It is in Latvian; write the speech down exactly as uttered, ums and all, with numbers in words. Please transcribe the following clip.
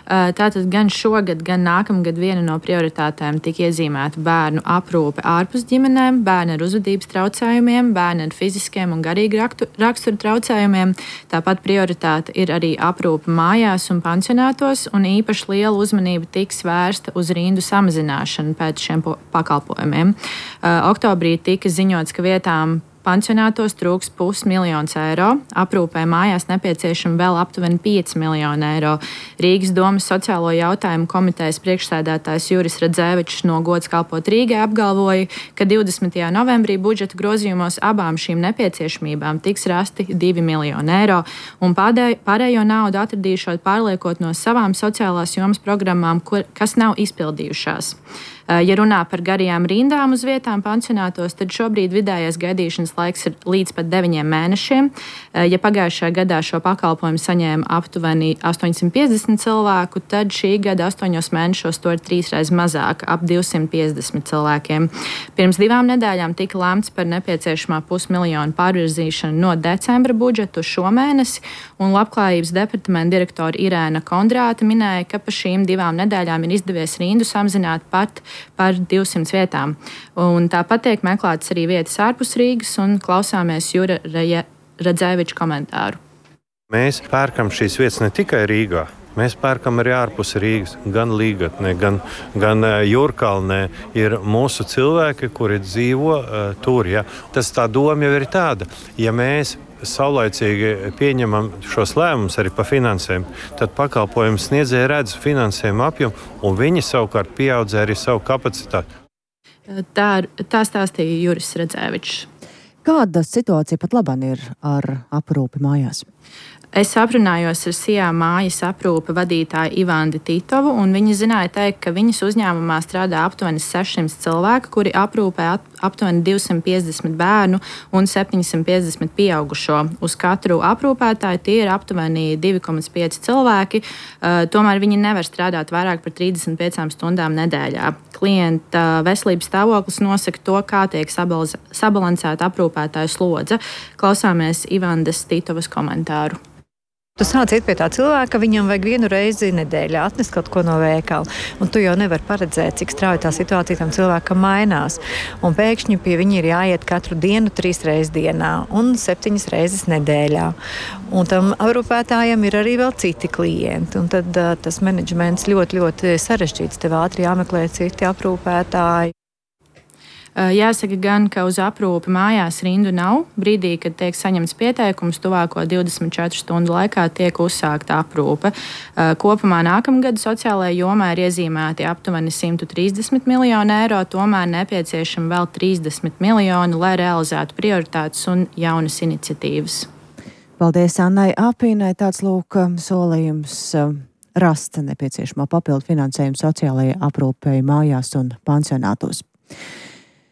Tātad gan šogad, gan nākamgad viena no prioritātēm tika iezīmēta bērnu aprūpe ārpus ģimenēm, bērni ar uzvedības traucējumiem, bērni ar fiziskiem un garīgi rakstura traucējumiem. Tāpat prioritāte ir arī aprūpe mājās un pansionātos, un īpaši liela uzmanība tiks vērsta uz rindu samazināšanu pēc šiem pakalpojumiem. Oktobrī tika ziņots, ka vietām pansionātos trūks pusmiljons eiro, aprūpē mājās nepieciešama vēl aptuveni pieci miljoni eiro. Rīgas domas sociālo jautājumu komitejas priekšsēdētājs Juris Radzēvičs no Gods kalpot Rīgai apgalvoja, ka divdesmitajā novembrī budžeta grozījumos abām šīm nepieciešamībām tiks rasti divi miljoni eiro, un pārējo naudu atradīšot pārliekot no savām sociālās jomas programmām, kur, kas nav izpildījušās. Ja runā par garajām rindām uz vietām pansionātos, tad šobrīd vidējais gaidīšanas laiks ir līdz pat deviņiem mēnešiem. Ja pagājušajā gadā šo pakalpojumu saņēma aptuveni astoņsimt piecdesmit cilvēku, tad šī gada astoņos mēnešos to ir trīsreiz mazāk, ap divsimt piecdesmit cilvēkiem. Pirms divām nedēļām tika lēmts par nepieciešamā pusmiljonu pārvirzīšanu no decembra budžeta uz šo mēnesi, un Labklājības departamenta direktore Irēna Kondrāte minēja, ka pa šīm divām nedēļām ir izdevies rindu samazināt pat par divsimt vietām. Un tāpat tiek meklētas arī vietas ārpus Rīgas, un klausāmies Jura Radzēviča komentāru. Mēs pērkam šīs vietas ne tikai Rīgā. Mēs pērkam arī ārpus Rīgas, gan Līgatnē, gan, gan Jūrkalnē. Ir mūsu cilvēki, kuri dzīvo uh, tur. Ja. Tas tā doma jau ir tāda. Ja mēs saulaicīgi pieņemam šos lēmumus arī par finansēm, tad pakalpojumu sniedzēji redz finansējumu apjomu, un viņi savukārt pieaudzē arī savu kapacitāti. Tā, tā stāstīja Juris Radzēvičs. Kāda situācija pat labāk ir ar aprūpi mājās? Es aprunājos ar Sijā mājas aprūpe vadītāju Ivandu Titovu, un viņa zināja teikt, ka viņas uzņēmumā strādā aptuveni sešsimt cilvēku, kuri aprūpē aptuveni divsimt piecdesmit bērnu un septiņsimt piecdesmit pieaugušo. Uz katru aprūpētāju tie ir aptuveni divi komats pieci cilvēki, uh, tomēr viņi nevar strādāt vairāk par trīsdesmit piecām stundām nedēļā. Klienta veselības stāvoklis nosaka to, kā tiek sabalansēta aprūpētāju slodze. Klausāmies Ivandas Titovas komentāru. Tu sāc iet pie tā cilvēka, ka viņam vajag vienu reizi nedēļā atnest kaut ko no veikala. Un tu jau nevari paredzēt, cik strauji tā situācija tam cilvēkam mainās. Un pēkšņi pie viņa ir jāiet katru dienu, trīs reizes dienā un septiņas reizes nedēļā. Un tam aprūpētājam ir arī vēl citi klienti. Un tad uh, tas menedžments ļoti, ļoti sarežģīts. Tev ātri jāmeklē citi aprūpētāji. Jāsaka gan, ka uz aprūpi mājās rindu nav. Brīdī, kad tiek saņemts pieteikums, tuvāko divdesmit četru stundu laikā tiek uzsākta aprūpe. Kopumā nākamgad sociālajā jomā ir iezīmēti aptuveni simt trīsdesmit miljoni eiro, tomēr nepieciešami vēl trīsdesmit miljoni, lai realizētu prioritātes un jaunas iniciatīvas. Paldies Annai Apīnai. Tāds lūk solījums rast nepieciešamā papildu finansējumu sociālajai aprūpei mājās un pansionātos.